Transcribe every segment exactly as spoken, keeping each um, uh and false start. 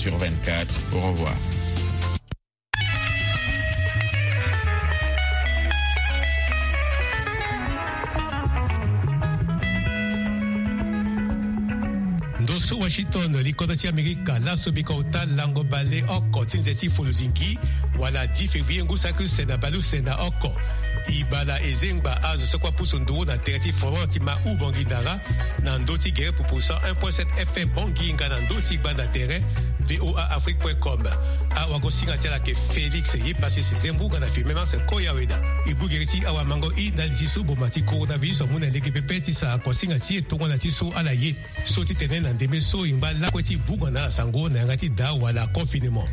sur vingt-quatre. Au revoir. Ndo so Washington, likodro ti Amerika, laso bika ota lango bale oko ti nze ti foluzingi, wala dix février ngu saki use na bale use na oko. Ibala ezengba azo so kue apusu nduru na tere ti Florent ti ma Ubangui Ndara, na ndö ti gere pupu cent un point sept F M Bangui nga na ndö ti gbanda tere V O A Afrique point com. Awagosinga ti ala ayeke Félix Yepasis Zembu nga na Firmin Marcel Koyaweda. E gbu gere ti awamango i ndali ti so boma ti coronavirus amu na lege pepe ti sara kosinga ti e tongana ti so ala ye. So ti tene na ndembe so e ngba lakue ti vunga na ala sango na yanga ti daa wala confinement.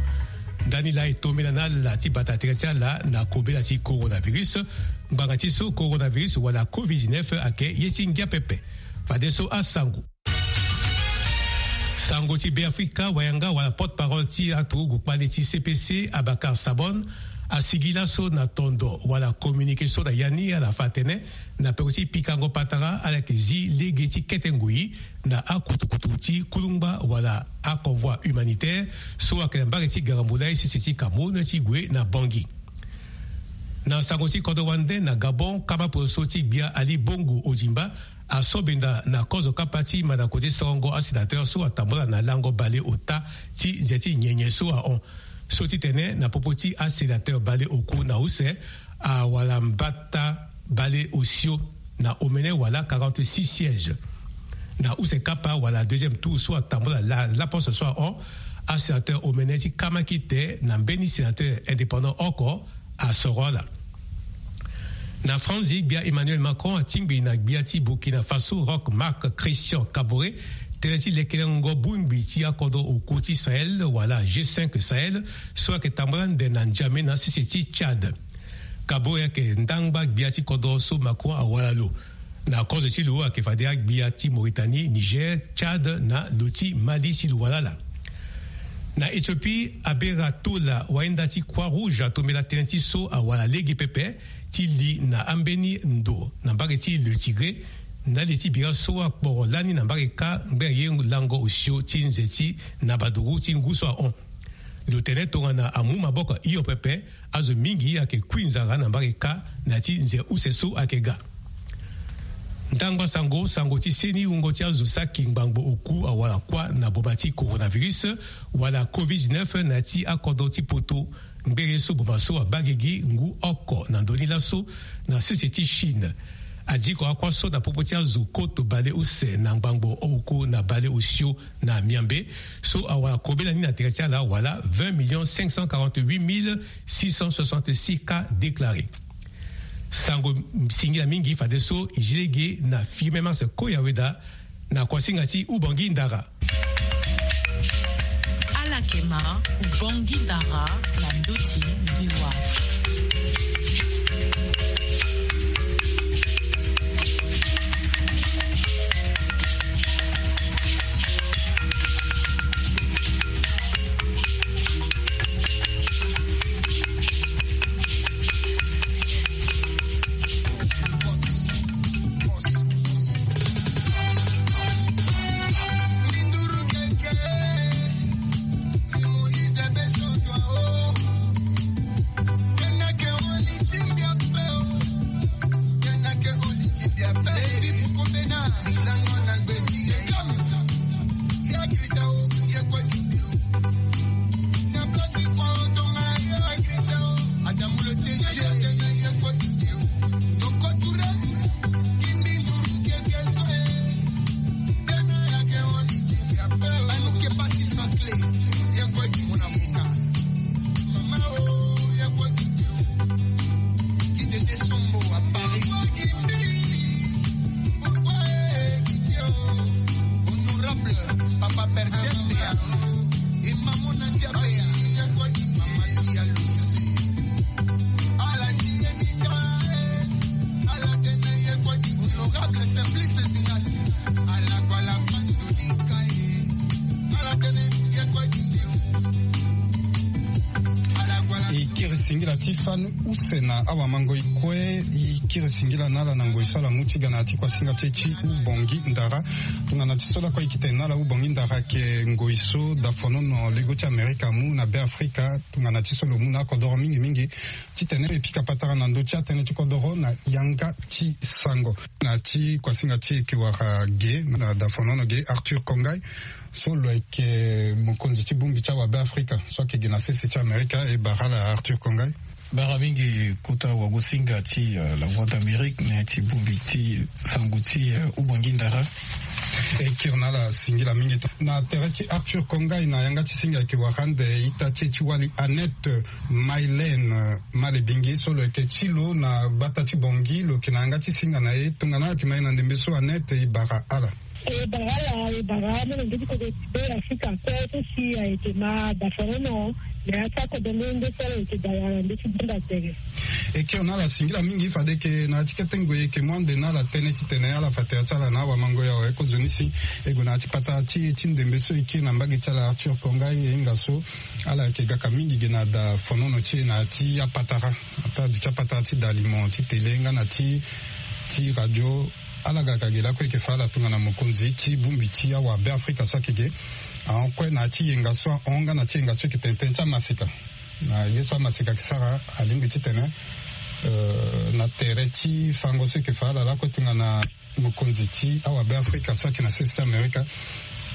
Ndani laa e tombela na ala ti bata tere ti ala na kobela ti coronavirus. Ngbanga ti so coronavirus wala covid dix-neuf ayeke ye ti ngia pepe. Fadeso asango. Sango ti Beafrika, wayanga wala porte-parole ti aturugu kpale ti C P C, Abacar Sabon, asigi laso na tondo wala communiqué so na ya ni ala fa atene na peko ti pikango patara ala yeke zi lege ti kete ngoi na akutukutu ti kulungba wala aconvoi humanitaire so ayeke na mbage ti Garambula sese ti Cameroun ti gue na Bangui. Na sango ti kodro wande na Gabon, kama poroso ti gbia Ali Bongo Ondimba asobenda na kozo kapa ti mandako ti sorongo asénateur so atambula na lango bale ota ti nze ti nyenye so ahon. So ti tene na popo ti asénateur bale oku na use awala mbata bale osio na omene wala quarante-six sièges. Na use kapa wala deuxième tour so atambula la, laposte so ahon, asénateur omene ti kama kite na mbeni sénateur indépendant oko asoro ala. Na Franzi, gbia Emmanuel Macron atingbi na gbia ti Burkina Faso Roch Marc Christian Kaboré tënë ti lekelengo bongbi ti akodro oku ti Sahel wala G cinq Sahel so ayeke tambula ande na N'Djamena sese ti Tchad. Kaboré ayeke ndangba gbia ti kodro so Macron awara lo. Na kozo ti lo ayeke fade agbia ti Mauritanie, Niger, Tchad na lo ti Mali si lo wara ala. Na Éthiopie, Abera Tola, wahinda ti Croix-Rouge atombela tënë ti so awara lege pepe ti li na ambeni ndo na mbage ti Le Tigré, ndali ti bira so akporo lani na mbage kâ ngbene ye lango osio ti nze ti Nabaduru ti ngu so ahon. Lo tene tongana amu maboko hio pepe, azo mingi ayeke kui nzara na mbage kâ na ya ti nze use so ayeke ga. Ndangba sango, sango ti seni wungo ti azo saki ngbangbo oku awara kuâ na boma ti coronavirus wala covid dix-neuf na ya ti akodro ti poto. Ngbere so boma so abaa gigi ngu oko na ndö ni laso na sese ti Chine. Adiko akuâ so na popo ti azo koto bale use na ngbangbo oku na bale osio na Miambe so awara kobela ni na tere ti ala wala vingt millions cinq cent quarante-huit mille six cent soixante-six cas déclarés. Sango singila mingi fadeso e zi lege na Firmin Marcel Koyaweda na kuasinga ti Ubangui Ndara. Ala yeke ma Ubangui Ndara na ndö ti V O A. Singila ti fani use na awamango e kue. E kiri singila na ala na ngoi so ala mu ti ga na ya ti kuasinga ti e ti Ubongi Ndara. Tongana ti so lakue e yeke tene na ala, Ubongi Ndara ayeke ngoi so dafonono lengo ti Amerika amu na Beafrika. Tongana ti so lo mu na akodoro mingi mingi titene e pika patara na ndö ti atënë ti kodoro na yanga ti sango. Na ya ti kuasinga ti e yeke wara ge na dafonono ge, Arthur Kongai, so lo yeke mokonzi ti bongbi ti awabeafrika so ayeke ge na sese ti Amerika. E bara ala, Arthur Kongai. Bara mingi kota wagosinga ti, euh, La Voix d'Amérique, na ya ti bongbi ti sango ti, euh, Ubongi Ndara. E kiri na ala singila mingi. Na tere ti Arthur Kongai, na yanga ti singa ayeke wara ande ita ti e ti wali, Annette Mylène Malebingi, so lo yeke ti lo na gbata ti Bangui, lo yeke na yanga ti singa na e. Tongana ala yeke ma e na ndembe so, Annette, e bara ala. E bara ala, e bara molenge ti kodro ti Beafrika kue so si ayeke ma dafonono na ya ti akodro nde so ala yeke da na ndö ti banda tere. E kiri na ala singila mingi. Fade yeke na ya ti kete ngoi e yeke mu ande na ala tënë titene ala fa tere ti ala na awamango ya awe. Kozoni si e gue na ya ti patara ti e ti ndembe so e kiri na mbage ti ala, Arthur Kongai, e hinga so ala yeke gaka mingi ge na dafonono ti e na ya ti apatara, ata duti apatara ti dalimo ti tele nga na ti, ti radio. Ala ga ka ge lakue e yeke fa ala tongana mokonzi ti bongbi ti awabeafrika so ayeke ge ahon kue na ya ti yenga so ahon nga na ti yenga so e yeke tene tënë ti amaseka. Na ye so amaseka ayeke sara, alingbi titene, euh, na tere ti fango so e yeke fa ala lakue tongana mokonzi ti awabeafrika so ayeke na sese ti Amerika,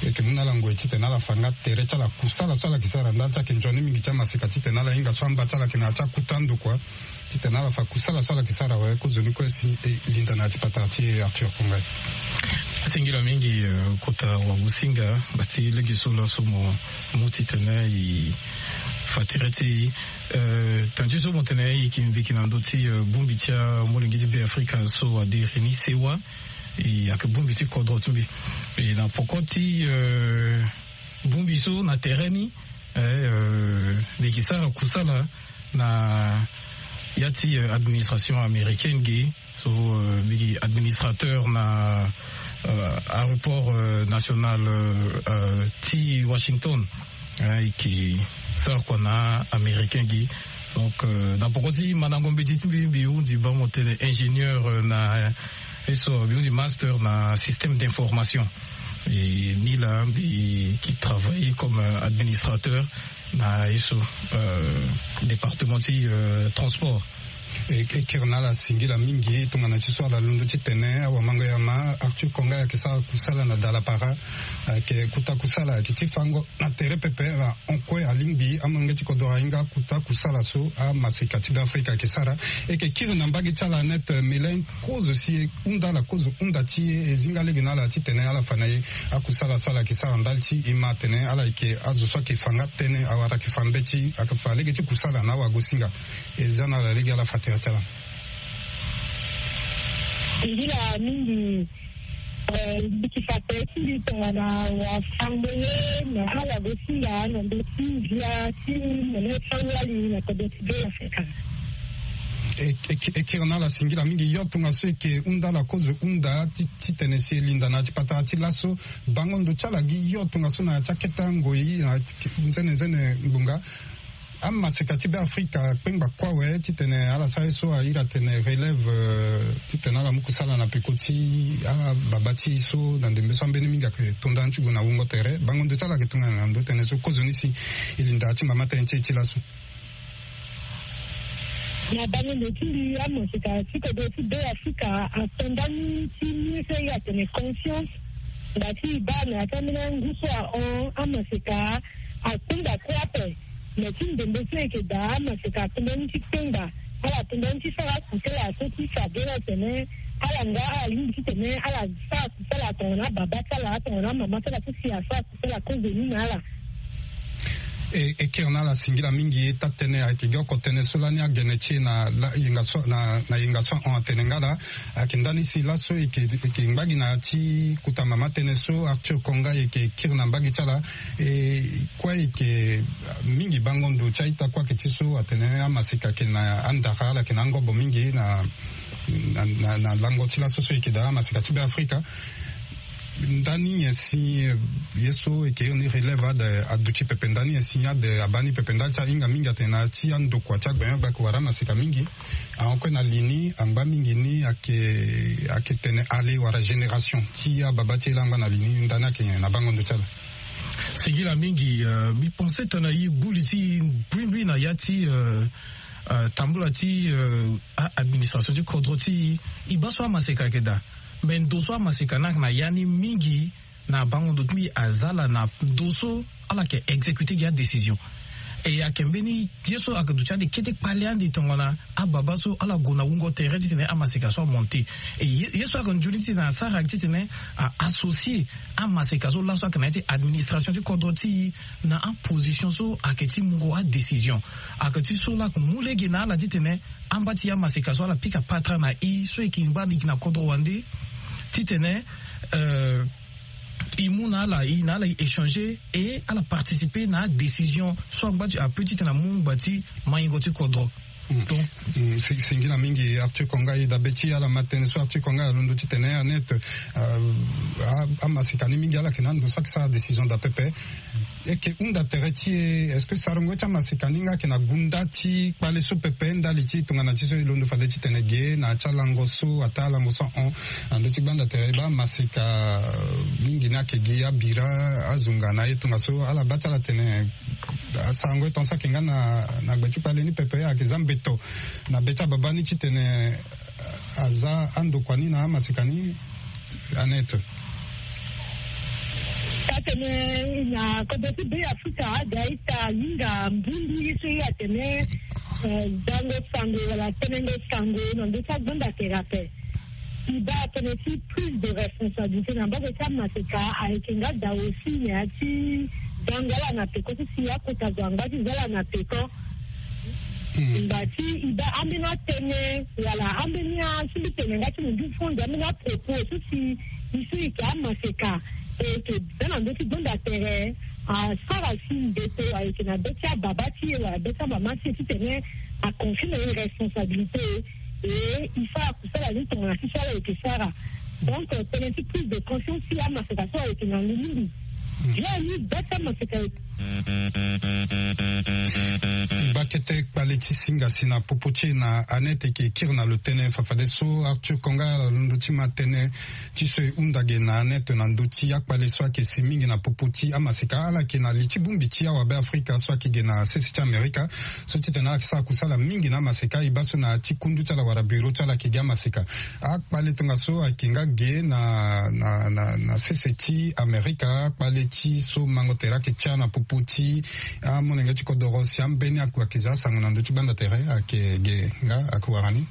e yeke mu na ala ngoi titene ala fa nga tere ti ala, kusala so ala yeke sara. Ndali ti ayeke nzoni mingi ti amaseka titene ala hinga so amba ti ala ayeke na ya ti akuta ndo kua, titene ala fa kusala so ala yeke sara awe. Kozoni kue si e linda na ya ti patara ti e, Arthur Kongai. Singila mingi, euh, kota wagosinga, bati lege so laso mo mu titene e fa tere ti e. Euh, tënë ti so mo tene e yeke mbiki na ndö ti, euh, bongbi ti amolenge ti Beafrika so adiri ni, CEEAO. E ayeke bongbi ti kodro ti mbi. E na poko ti, euh, bongbi so na tere ni, eh, euh, mbi yeke sara kusala na ya ti, euh, administration américaine ge. So, euh, mbi gi administrateur na, euh, aéroport, euh, national, euh, euh, ti Washington. Hein, e yeke sara kua na américain gi. Donc, euh, na poko ti mandango mbeti ti mbi, mbi hundi bango tene ingénieur, euh, na, euh, ye so mbi hundi master na système d'information. E ni laa mbi yeke travailler comme, euh, administrateur na ye so, euh, département ti, euh, transport. E, e kiri na ala singila mingi tongana ti so ala londo titene awamango ya ma Arthur Konga ayeke sara kusala na Dalapara. Ayeke kuta kusala ayeke ti fango na tere pepe. Ahon kue alingbi amolenge ti kodro ahinga akuta kusala so amaseka ti Beafrika ayeke sara. E yeke kiri na mbage ti ala Annette Mylène, kozo si e hunda ala, kozo hunda ti e, e zinga lege na ala titene ala fa na e akusala so ala yeke sara ndali ti e ma atene ala yeke azo so ayeke fa nga tënë, awara ayeke fa mbeti, ayeke fa lege ti kusala na awagosinga. E za na ala lege ala fa tere ti ala. Singila mingi, eh, mbi yeke fa tere ti mbi tongana wafango ye na awagosinga na ndö ti ndia ti molenge ti awali na kodro ti Beafrika. E, e, e kiri na ala singila mingi. Yo tongaso e yeke hunda ala kozo hunda ti, titene si e linda na ya ti patara ti laso bango ndo ti ala gi yo tongaso na ya ti akete angoi na nzene nzene ngbonga. Amaseka ti Beafrika akpengba kue awe titene ala sara ye so a iri atene relève, euh, titene ala mu kusala na peko ti ababa ti e so na ndembe so ambeni mingi ayeke to nda ni ti gue na wungo tere. Bango ndo ti ala ayeke tongana na ndo tënë so kozoni si e linda ti mama tënë ti e ti laso. Na bango ndo ti mbi, amaseka ti kodro ti Beafrika ato ndani ti mu ye so e iri atene conscience. Nda ti e baa na ya ti ambeni angu so ahon, amaseka akpengba kue ape. Me ti ndembe so e yeke daa, amaseka ato ndani ti kpengba. Ala to ndani ti sara kusala so ti fa bê na tene ala nga ala lingbi titene ala sara kusala tongana ababa ti ala, tongana amama ti ala so si asara kusala kozoni na ala. E, e kiri na ala singila mingi. Taa-tënë ayeke gi oko tënë so lani agene ti e na la, yenga so, na, na yenga so ahon atene nga laa. Ayeke ndani si laso e yeke, e yeke ngba gi na ya ti kota mama tënë so Arthur Konga e yeke kiri na mbage ti ala. E kue e yeke mingi bango ndo ti a-ita kue ayeke ti so atene amaseka ayeke na andara, ala yeke na angobo mingi na, na, na, na lango ti laso so e yeke daa amaseka ti Beafrika. Ndani nyen si ye so eke iri ni relève ade aduti pepe? Ndani nyen si ade abaa ni pepe? Ndali ti ahinga mingi atene na ti andokua ti agbenyo-gbe ayeke wara amaseka mingi. Ahon kue na li ni angba mingi ni ayeke ayeke tene ale wala génération ti ababa ti e laa angba na li ni. Ndani ayeke nyen na bango ndo ti ala? Singila mingi. Euh, mbi pense tongana e gbu li ti e mbrimbri na ya ti, euh, euh, tambula ti, euh, a- administration ti kodro ti e, e baa so amaseka ayeke daa. Me ndo so amaseka ni ayeke na ya ni mingi na bango ndo ti mbi aza ala na ndo so ala yeke exécuter gi adécision. E ayeke mbeni ye so ayeke duti ande kete kpale ande tongana ababa so ala gue na wungo tere titene amaseka so amonte. E ye, ye so ayeke nzoni titene asara ayeke titene a associer amaseka so laso ayeke na ya ti administration ti kodro ti e na aposition so ayeke ti mungo adécision. Ayeke ti so laa ayeke mu lege na ala titene amba ti amaseka so ala pika patara na e so e yeke ngba e yeke na kodro wande titene, euh, e mu na ala, e na ala e échanger et ala participer na adécision so angba ti ape titene amu ngba ti maingo ti kodro. Donc, mm, si- singila mingi Arthur Konga. E dabe ti ala ma tënë so Arthur Konga alondo titene Annette, euh, a- amaseka ni mingi ala yeke na ando so ayeke sara décision daa pepe. E yeke hunda tere ti e, est-ce que sarango ti amaseka ni nga ayeke na gunda ti kpale so pepe ndali ti tongana ti so e londo fade titene ge na ya ti alango so ataa alango so ahon na ndö ti gbanda tere e baa amaseka, euh, mingi ni ayeke gi abira, azunga na aye tongaso ala baa ti ala tene asarango e tongaso ayeke nga na na gbe ti kpale ni pepe ayeke za mbeto na be ti ababa ni titene aza andokua ni na amaseka ni. Annette. Atene na kodro ti Be Afrika aga ita hinga mbundu ye so ye atene, eh, zango sango wala tenengo sango na ndö ti agbanda tere ape. E baa atene ti prise de responsabilité na mbage ti amaseka ayeke nga daa aussi na ya ti zango ala na peko ti si akota zo angba ti za ala na peko. Ngba ti e baa ambeni atënë wala ambeni a- si mbi tene nga ti mundu fo nze ambeni apropos so si e so e yeke amaseka e yeke za na ndö ti gbanda tere asara si mbeto ayeke na be ti ababa ti e wala be ti amama ti e titene aconfie na e responsabilité. E e sara kusala ni tongana ti so ala yeke sara. Donc, euh, tënë ti prise de conscience ti amaseka so ayeke ngangu mingi. Bien ni be ti amaseka. Bakete kpale ti singa si na popo ti e na Annette eke kiri na lo tënë fafadeso Arthur Konga alondo ti ma tënë ti so e hunda ge na Annette na ndö ti akpale so ayeke si mingi na popo ti amaseka ala yeke na li ti bongbi ti awabe Afrika so ayeke ge na sese ti Amerika. So titene ala yeke sara kusala mingi na amaseka e baa so na ya ti kundu ti ala wala bureau ti ala ayeke gi amaseka. Akpale tongaso ayeke nga ge na na na na sese ti Amerika, akpale ti so mango tere ayeke tia na popo ti amolenge ti kodoro si ambeni akua ayeke za asango na ndö ti gbanda tere ayeke ge nga ayeke wara ni.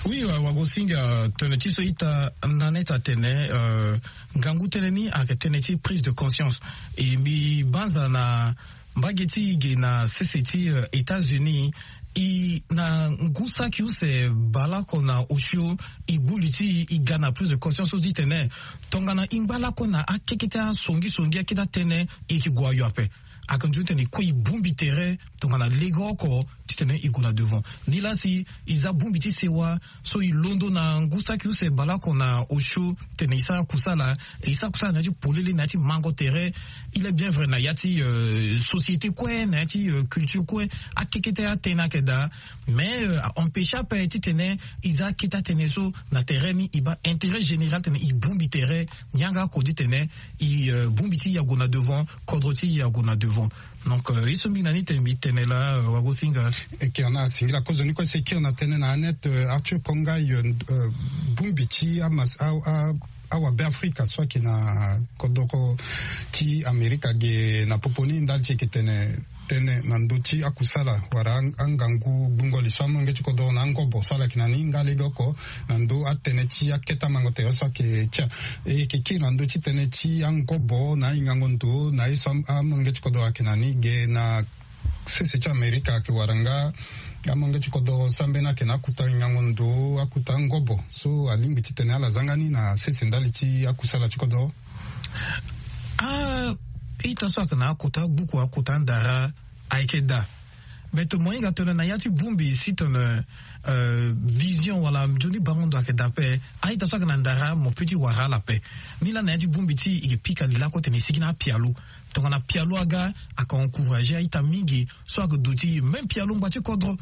Oui, euh, wagosinga tënë ti so ita na neta tene, euh, ngangu tënë ni ayeke tënë ti prise de conscience. E mbi banza na mbage ti e ge na sese ti, euh, États-Unis, e na ngu saki use baleoko na osio, e gbu li ti e, e ga na prise de conscience so ti tene tongana e ngba lakue na akekete asongisongi akete atënë, e yeke gue ayo ape. Ayeke nzoni titene e kue e bongbi tere tongana lege oko titene e gue na devant. Nilaa si e za bongbi ti sewa so e londo na ngu saki use baleoko na osio titene e sara kusala, e sara kusala na ya ti polele na ya ti mango tere. Il est bien vrai na ya ti, euh, société kue, na ya ti, euh, culture kue, akekete atënë ayeke daa. Mais, euh, a empêche ape titene e za akete atënë so na tere ni, e baa intérêt général titene e bongbi tere, yanga oko titene e, euh, bongbi ti e ague na devant, kodro ti e ague na devant. Donc, euh, ye so mbi na ni tene mbi tene laa, euh, wagosinga. Eke ana singila kozo ni kue si e kiri na tënë na Annette, euh, Arthur Konga, euh, bongbi ti amas- a- a- awabe Afrika so ayeke na kodoro ti Amerika ge na popo ni ndali ti e yeke tene tënë na ndö ti akusala wala a- angangu gbungo li so amolenge ti kodoro na angobo so ala yeke na ni nga lege oko na ndö atënë ti akete amango tere so ayeke tia. E yeke kiri na ndö ti tënë ti angobo na ahingango ndo na ye so am- amolenge ti kodoro ayeke na ni ge na sese ti Amerika ayeke wara nga amolenge ti kodoro so ambeni ayeke na akuta hingango ndo, akuta angobo so alingbi titene ala za nga ni na sese ndali ti akusala ti kodoro. Ah, ita so ayeke na akota agbuku, akota andara ayeke daa. Beto mo hinga tene na ya ti bongbi si tene vision wala nzoni bango ndo ayeke daa ape. A-ita so ayeke na ndara mo pe ti wara ala ape. Nilaa na ya ti bongbi ti e yeke pika lilako tene e sigi na apialo. Tongana pialo aga, ayeke encourager a-ita mingi so ayeke duti même pialo ngba ti kodro.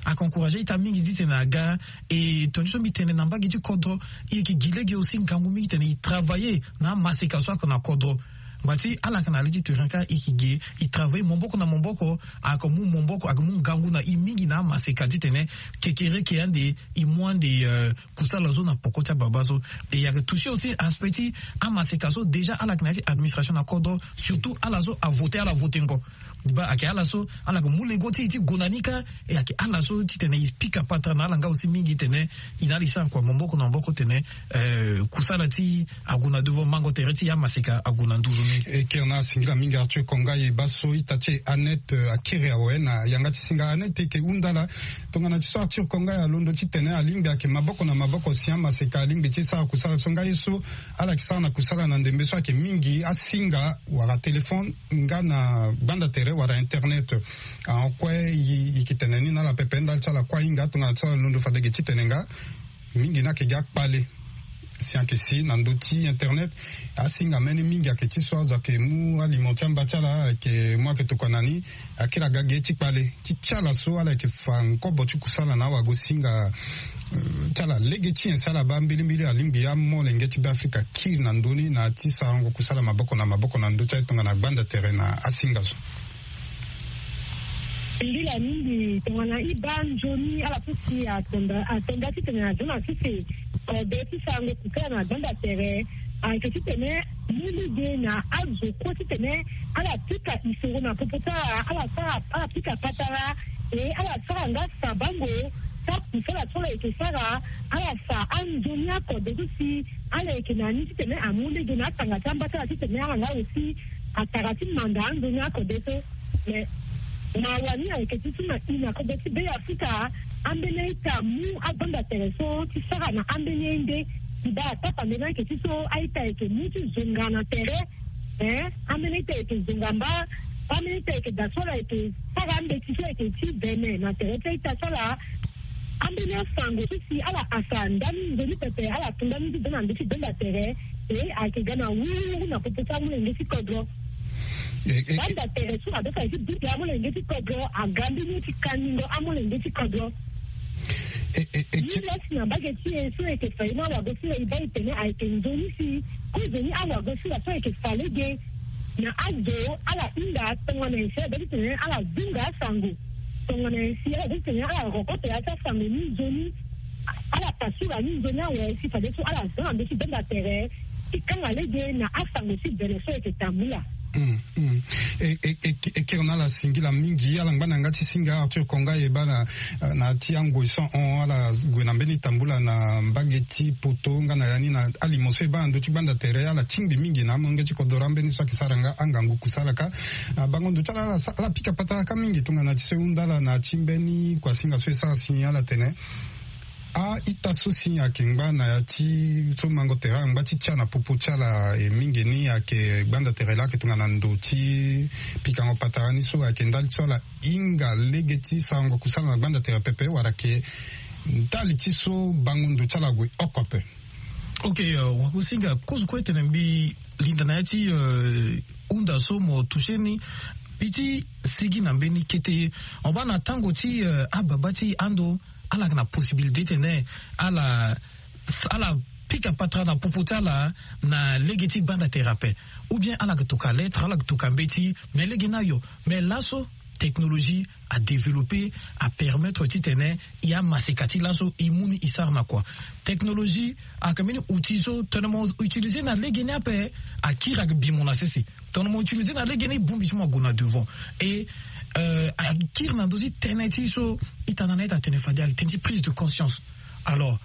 Ayeke encourager a-ita mingi titene aga. E tongana so mbi tene na mbage ti kodro, e yeke gi lege aussi ngangu mingi titene e travailler na amaseka so ayeke na kodro. Ngba ti ala ayeke na le ti terrain kâ, e yeke gi e travailler maboko na maboko. Ayeke mu maboko, ayeke mu ngangu na e mingi na amaseka titene kekereke ande e mu ande kusala so na poko ti ababa so. E ayeke toucher aussi aspect ti amaseka so déjà ala yeke na ya ti administration na kodro, surtout ala so avote, ala votengo. Ba ayeke ala so ala yeke mu lego ti e ti gue na ni kâ. E ayeke ala so titene e pika patara na ala nga aussi mingi titene e na ala e sara kua maboko na maboko titene kusala ti e ague na devant, mango tere ti e amaseka ague na nduzu ni. E kiri na ala singila mingi Arthur Konga. E baa so ita ti e Annette akiri awe na yanga ti singa. Annette, e yeke hunda ala tongana ti so Arthur Konga alondo titene alingbi ayeke maboko na maboko si amaseka alingbi ti sara kusala so nga ye so ala yeke sara na kusala na ndembe so ayeke mingi asinga wala téléphone nga na gbanda tere wala internet. Ahon kue e yeke tene ni na ala pepe ndali ti ala kue ahinga tongana ti ala londo fade ge titene nga mingi ni ayeke gi akpale. Si ayeke si na ndö ti internet asinga mbeni mingi ayeke ti so azo ayeke mu aliment ti amba ti ala ayeke mu ayeke tokua na ni. Akiri aga ge ti kpale ti ti ala so ala yeke fa nkobo ti kusala na awagosinga ti ala lege ti nyen si ala baa mbilimbili alingbi amolenge ti Beafrika akiri na ndö ni na ya ti sarango kusala maboko na maboko na ndö ti aye tongana gbanda tere na asinga so. Mbila mingi tongana e baa nzoni ala so si atonda atonda titene azo na sese kode ti sarango kusala na gbanda tere. Ayeke titene mu lege na azo kue titene ala pika isoro na popo ti ala, ala sara ala pika patara. E ala sara nga sabango ti akusala so ala yeke sara. Ala fa anzoni akode so si ala yeke na ni titene amu lege na atanga ti amba ti ala titene ala nga aussi atara ti manda anzoni akode so. Mais mawa ni ayeke ti so na i na kodro ti Beafrika ambeni a-ita amu agbanda tere so ti sara na ambeni a-inde. Ti baa atapa mbeni ayeke ti so a-ita ayeke mu ti zonga na tere. Ee, ambeni a-ita ayeke zonga mba. Ambeni a-ita ayeke daa so ala yeke sara ambeti so ayeke ti vene na tere ti a-ita ti ala. Ambeni asango so si ala asa ndani nzoni pepe ala tu ndani ti da na ndö ti gbenda tere. E ayeke ga na wuru wuru na popo ti amolenge ti kodro. Gbanda tere so adoka ye ti bute amolenge ti kodro aga mbeni ye ti kaningo amolenge ti kodro. Ni lasi na mbage ti e so e yeke fa ye ni awago sila e baa e tene ayeke nzoni si kozoni awago sila so ayeke fa lege na azo ala hinga tongana e si ala baa ti tene ala zunga asango. Tongana e si ala baa ti tene ala roko tere ti asango ni nzoni ala pasura ni nzoni awe si fadeso ala za na ndö ti gbenda tere ti kanga lege na asango ti bene so e yeke tambula. E kiri na ala singila mingi ala ngba na yanga ti singa Arthur Konga e baa na ti angoi so hon ala gue na mbeni tambula na mbage ti poto nga na ya ni na alimo so e baa na ndö ti gbanda tere ala tingbi mingi na amolenge ti kodro ambeni so ayeke sara nga angangu kusala kâ. Na bango ndo ti ala ala pika patara kâ mingi tongana ti so e hunda ala na ti mbeni kuasinga so e sara si ala tene a-ita so si ayeke ngba na ya ti so mango tere ala ngba ti tia na popo ti ala e mingi ni ayeke gbanda tere laa ayeke tongana ndo ti pikango patara ni so ayeke ndali ti so ala hinga lege ti sarango kusala na gbanda tere pepe wala ayeke ndali ti so bango ndo ti ala gue oko ape. Ok, wakusinga kozo kue tene mbi linda na ya ti hunda so mo toucher ni. Mbi ti sigi na mbeni kete on baa na tango ti ababa ti ando ala yeke na possibilité tene ala ala pika patara na popo ti ala na lege ti gbanda tere ape. Ou bien ala yeke toka lettre ala yeke toka mbeti. Mais lege ni ayo mais laso technologie adéveloppé apermettre titene e amaseka ti laso e mu ni e sara na kua. Technologie ayeke mbeni outil so tongana mo utiliser na lege ni ape akiri ayeke bi mo na sese. Tongana mo utiliser na lege ni bongbi ti mo ague na devant. Et akiri na ndö ti tënë ti so ita na na ita atene fade ayeke tënë ti prise de conscience. Alors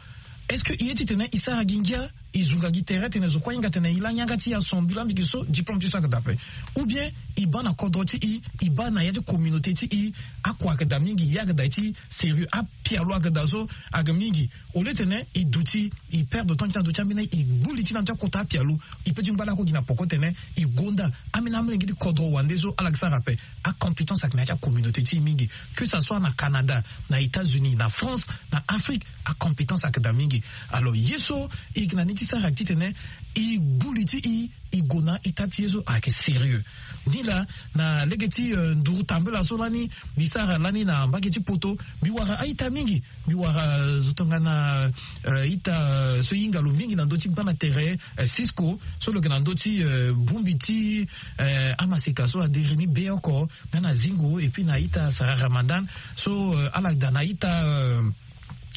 est-ce que e ye titene e sara gi ngia? e zunga gi tere tene zo kue ahinga tene e la yanga ti e asambila mingi so diplôme ti so ayeke daa ape. Ou bien e baa na kodro ti e, e baa na ya ti communauté ti e, akua ayeke daa mingi, ye ayeke daa ye ti sérieux, apialo ayeke daa so ayeke mingi. Au lieu tene e duti, e perdre temps ti na ndö ti ambeni, e gbu li ti na ndö ti akota apialo, e pe ti ngba lakue gi na poko tene e gonda ambeni amolenge ti kodro wande so ala yeke sara ape. Acompétence ayeke na ya ti acommunauté ti e mingi, que ça soit na Canada, na États-Unis, na France, na Afrique, acompétence ayeke daa mingi. Alors ye so e yeke na ni ti sara titene e gbu li ti e, e gue na étape ti ye so ayeke sérieux. Ni laa, na lege ti, euh, nduru tambela so lani mbi sara lani na mbage ti poto, mbi wara a-ita mingi. Mbi wara, euh, zo tongana, euh, ita, euh, so e hinga lo mingi na ndö ti gbanda tere, euh, Cisco, so lo yeke na ndö ti, euh, bongbi ti, euh, amaseka so adere ni be oko, nga na Zingo, et puis na ita Sarah Ramadan, so, euh, ala daa na ita, euh,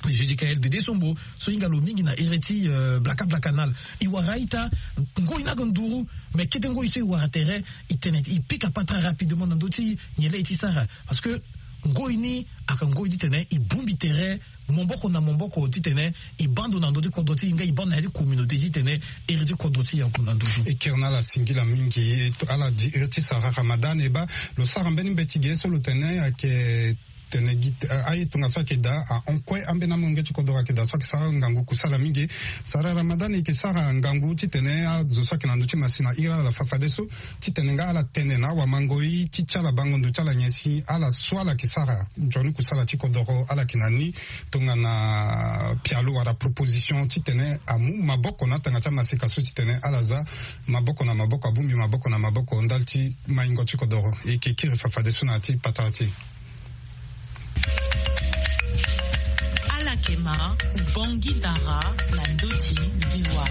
Judicaël Dede Sombo, so e hinga lo mingi na ere ti, euh, Blaka Blaka Nal. E wara a-ita, ngoi ni ayeke nduru, mais kete ngoi so e wara tere, e tene e pika patara rapidement na ndö ti nyen laa e ti sara. Parce que ngoi ni ayeke ngoi titene e bongbi tere maboko na maboko titene e baa ndo na ndö ti kodro ti e nga e baa ndo na ya ti communauté titene ere ti kodro ti e ague na ndö ti. E kiri na ala singila mingi, e to ala di ere ti Sarah Ramadan, e baa lo sara mbeni mbeti ge so lo tene ayeke tene gi, eh, aye tongaso ayeke daa ahon kue ambeni amolenge ti kodro ayeke daa so ayeke sara ngangu kusala mingi. Sarah Ramadan e yeke sara ngangu titene azo so ayeke na ndö ti masina iri ala fafadeso, titene nga ala tene na awamangoi ti ti ala bango ndo ti ala nyen si ala so ala yeke sara nzoni kusala ti kodoro ala yeke na ni tongana pialo wala proposition titene amu maboko na atanga ti amaseka so titene ala za maboko na maboko, abongbi maboko na maboko ndali ti maingo ti kodoro. E yeke kiri fafadeso na ya ti patara ti e. Alakema, Ubangui Dara, na ndö ti V O A.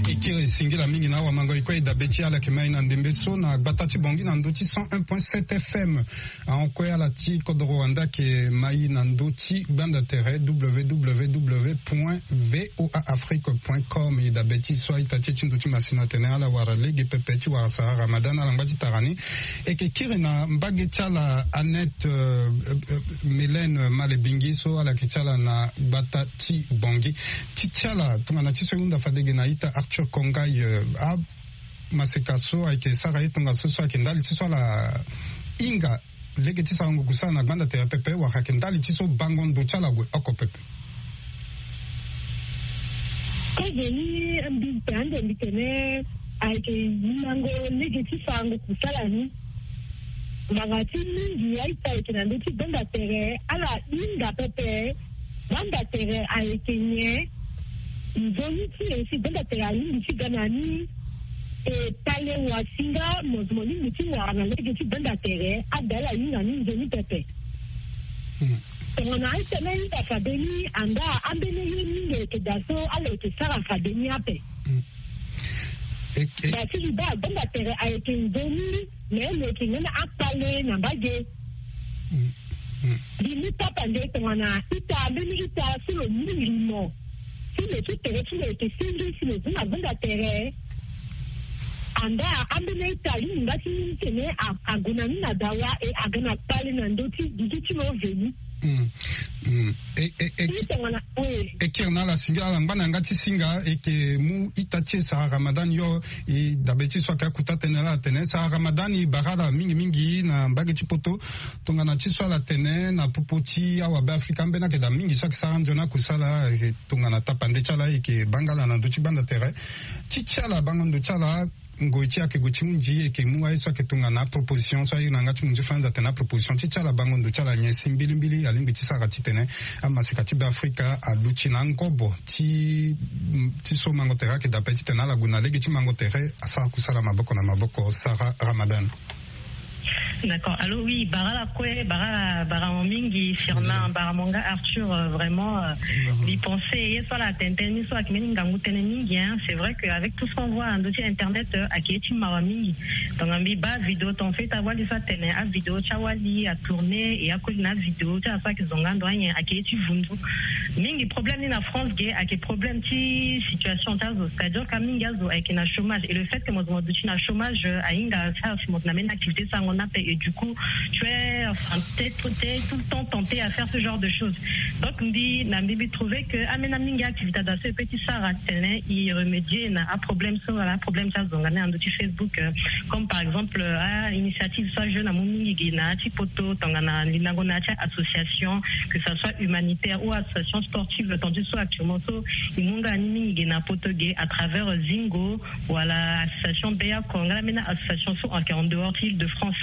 E kiri singila mingi na awamango e kue e dabe ti ala yeke mai na ndembe so na gbata ti Bangui na ndö ti cent un point sept F M. Ahon kue ala ti kodoro wande ayeke mai na ndö ti gbanda tere W W W point V O A Afrique point com. E dabe ti so a-ita ti e ti ndö ti masina atene ala wara lege pepe ti wara Sarah Ramadan, ala ngba ti tara ni. E yeke kiri na mbage ti ala Annette, euh, euh, euh, Mélène Malebingi so ala yeke ti ala na gbata ti Bangui. Ti ti ala tongana ti so e hunda fade ge na a-ita Arthur Kongaï, euh, amaseka so ayeke sara ye tongaso so ayeke ndali ti so ala hinga lege ti sarango kusala na gbanda tere pepe wala ayeke ndali ti so bango ndo ti ala gue oko pepe? Kozoni mbi pe ande mbi tene ayeke yimango lege ti sarango kusala ni. Ngbanga ti mingi a-ita ayeke na ndö ti gbanda tere ala hinga pepe. Gbanda tere ayeke nyen? Nzoni ti e si gbanda tere alingbi ti ga na ni. E pale wasinga mo, mo lingbi ti wara na lege ti gbanda tere, ada ala hinga ni nzoni pepe. Hmm. Tongana a-ita ni ahinga fade ni, anda ambeni ye mingi ayeke daa so ala yeke sara fade ni ape. Hmm. E, e. Da ti liba gbanda tere ayeke nzoni. Me lo yeke ngbene akpale na mbage. Mm, mm. Mbi mu tapande tongana ita, mbeni ita so lo mu limo ti lo ti tere ti lo yeke senge si lo zi na gbanda tere. Anda ambeni ita alingbi nga ti mu tene a, ague na ni na dawa e aga na kpale na ndö ti gigi ti lo veni. Mm. Mm. E, e, e, Ita ngana, oui. E kiri na ala singa, ala ngba na yanga ti singa, e ke mu ita ti e Sarah Ramadan yo, e dabe ti so ayeke akuta tënë laa atene, Sarah Ramadan, e bara ala mingi mingi na mbage ti poto, tongana ti so ala tene na popo ti awabe Afrika ambeni ayeke daa mingi so ayeke sara nzoni akusala, e tongana tapande ti ala, e ke baa nga ala na ndö ti gbanda tere. Ti ti ala bango ndo ti ala, ngoi ti e ayeke gue ti hunzi, e ke mu aye so ayeke tongana aproposition so aye na yanga ti munzu France atene aproposition ti ti ala bango ndo ti ala nyen si mbilimbili alingbi ti sara titene amaseka ti Beafrika aluti na angobo ti, ti so mango tere ayeke daa ape titene ala gue na lege ti mango tere asara kusala maboko na maboko. Sarah Ramadan. D'accord. Allô, oui, bara ala kue, bara, bara mo mingi, Firmin, bara mo nga Arthur, euh, vraiment, euh, mbi pense ye so ala tene tënë ni so ayeke mbeni ngangu tënë mingi, hein. C'est vrai que avec tout ce qu'on voit na ndö ti internet, euh, ayeke ye ti mawa mingi. Donc mbi baa vidéo ton fait awali so atene avidéo ti awali atourné et akoli na avidéo ti ala so ayeke zonga ando anyen ayeke ye ti vundu. Mingi problème ni na France ge ayeke problème ti situation ti azo, c'est-à-dire que mingi azo ayeke na chômage, et le fait que mo zo mo duti na chômage, euh, ahinga asara si mo na mbeni activité sarango ni ape, et du coup tu es, enfin, t'es, t'es tout le temps tenté à faire ce genre de choses. Donc mbi na mbi mbi trouver que ambeni mingi activité azo so e peut ti sara titene e remédier na aproblème so wala aproblème ti azonga ni na ndö ti Facebook, euh, comme par exemple, euh, a initiative so ajeune amu mingi ge na ya ti poto tongana lindango na ya ti association, que ça soit humanitaire ou association sportive, tandis so actuellement so e mu nga ni mingi ge na poto ge à travers, euh, Zingo, wala association Beyako, nga la mbeni association so ayeke en dehors ti Île-de-France.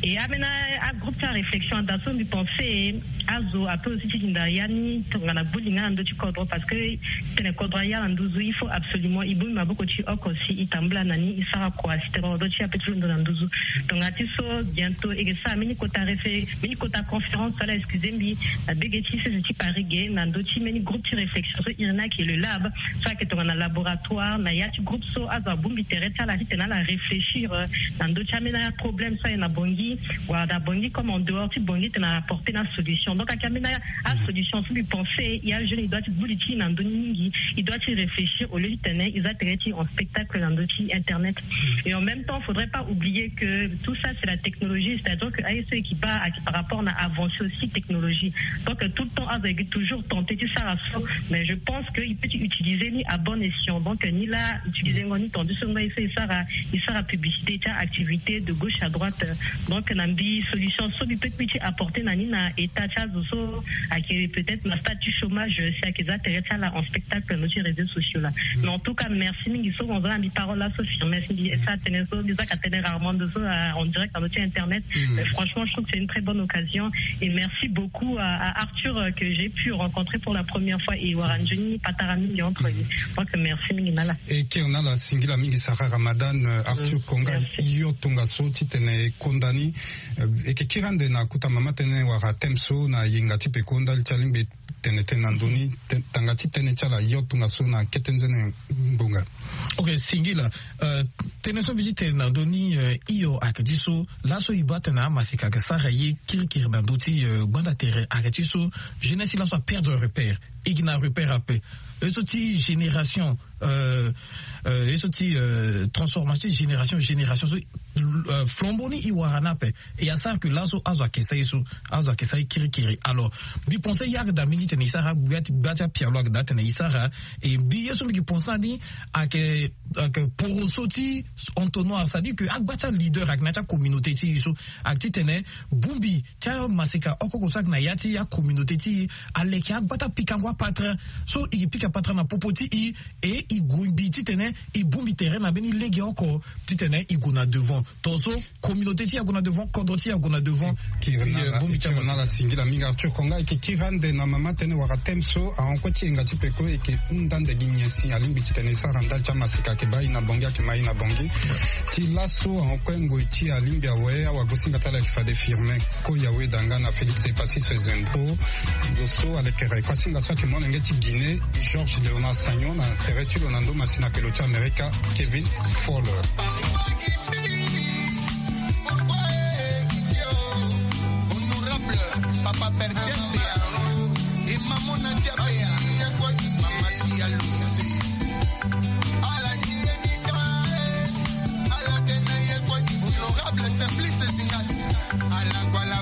Et ambeni agroupe ti aréflexion ada so mbi pense azo ape aussi ti linda ya ni tongana gbu linga na ndö ti kodro, parce que tene kodro aya na nduzu, il faut absolument e bongbi maboko ti e oko si e tambula na ni, e sara kua si tene kodro ti e ape ti londo na nduzu. Tongana ti so bientôt e ke sara mbeni kota réfé, mbeni kota conférence, ala excusez mbi, na bege ti sese ti Paris ge na ndö ti mbeni groupe ti réflexion so e iri ni ayeke le lab, so ayeke tongana laboratoire na ya ti groupe so azo abongbi tere ti ala titene ala réfléchir, euh, na ndö ti ambeni aproblème so aye na Bangui, wala na Bangui comme en dehors ti Bangui titene ala apporter na solution. Donc ayeke ambeni asolution so mbi pense e ajeune e doit ti gbu li ti e na ndö ni mingi, e doit ti réfléchir au lieu titene e za tere ti e en spectacle na ndö ti internet. Et en même temps faudrait pas oublier que tout ça c'est la technologie, c'est-à-dire que aye so e yeke baa ayeke par rapport na avancée aussi technologie. Donc tout le temps azo ayeke toujours tenté ti sara so, mais je pense que e peut ti utiliser ni à bon escient. Donc ni la utiliser ngo ni tandis so ngo aye so e sara, e sara publicité ti activité de gauche à droite. Donc na mbi solution so mbi peut mbi ti apporter na ni na état ti azo so ayeke peut-être na stade ti chômage, si ayeke za tere ti ala en spectacle na ndö ti réseaux sociaux là. Mais en tout cas merci mingi so mo za na mbi parole laso, Firmin, si mbi sa tene so mbi zaka tene rarement ndo so, euh, en direct na ndö ti internet. Mais franchement je trouve que c'est une très bonne occasion et merci beaucoup à, à Arthur, euh, que j'ai pu rencontrer pour la première fois et wara nzoni patara mingi entre nous. Donc merci mingi na ala. E kiri na ala singila mingi Sarah Ramadan, euh, Arthur Konga, yo tongaso titene e konda ni, euh, e ke kiri ande na kota mama tënë wala thème so na yenga ti peko ndali ti alingbi tene tënë na ndö ni, tanga ti tënë ti ala yo tongaso na kete nzene ngbonga. Ok, singila. Euh, tënë so mbi ti tene na ndö ni, euh, hio ayeke ti so laso e baa tene amaseka ayeke sara ye kirikiri na ndö ti, euh, gbanda tere ayeke ti so jeunesse ti laso aperdre repère. E gi na repère ape. E so ti génération, euh, euh, e so ti, euh, transformation ti génération génération so, euh, flambeau ni e wara ni ape. E asara que laso azo ayeke sara ye so, azo ayeke sara ye kirikiri. Alors mbi pense ya ayeke daa mingi titene e sara gbia ti, gbia ti apialo ayeke daa titene e sara. E mbi ye so mbi yeke pense na ni ayeke, ayeke poroso ti entonnoir, c'est-à-dire que agba ti aleader ayeke na ya ti acommunauté ti e so ayeke titene bongbi ti amaseka oko oko so ayeke na ya ti acommunauté ti e aleke agba ti apikango apatara so e ke pika patara na popo ti e. E e gue mbi titene e bongbi tere na mbeni lege oko titene e gue na devant. Tongaso communauté ti e ague na devant, kodro ti e ague na devant. Kiri na ala, bongbi ti amaseka. Kiri na ala singila mingi Arthur Konga. E ke kiri ande na mama tënë wala thème so ahon kue ti yenga ti peko, e ke hunda ande gi nyen si alingbi titene e sara ndali ti amaseka ayeke baa e na Bangui, ayeke ma e na Bangui. Ti laso ahon kue ngoi ti e alingbi awe, awagosinga ti ala ayeke fade Firmin Koyawe Danga na Félix Epassis Zenpo. Lo so alekere kuasinga so ayeke molenge ti Guinée, Georges Léonard Sagnon, na tere ti lo na ndo masina ayeke lo ti Amerika, Kevin Fowler. Honorable Papa Berger Bea, e mama na ti Abea, mama ti Aluse. Ala ni ye ni ta, e, ala tene ye kue ti honorable Simplice Zingas. Ala ngua la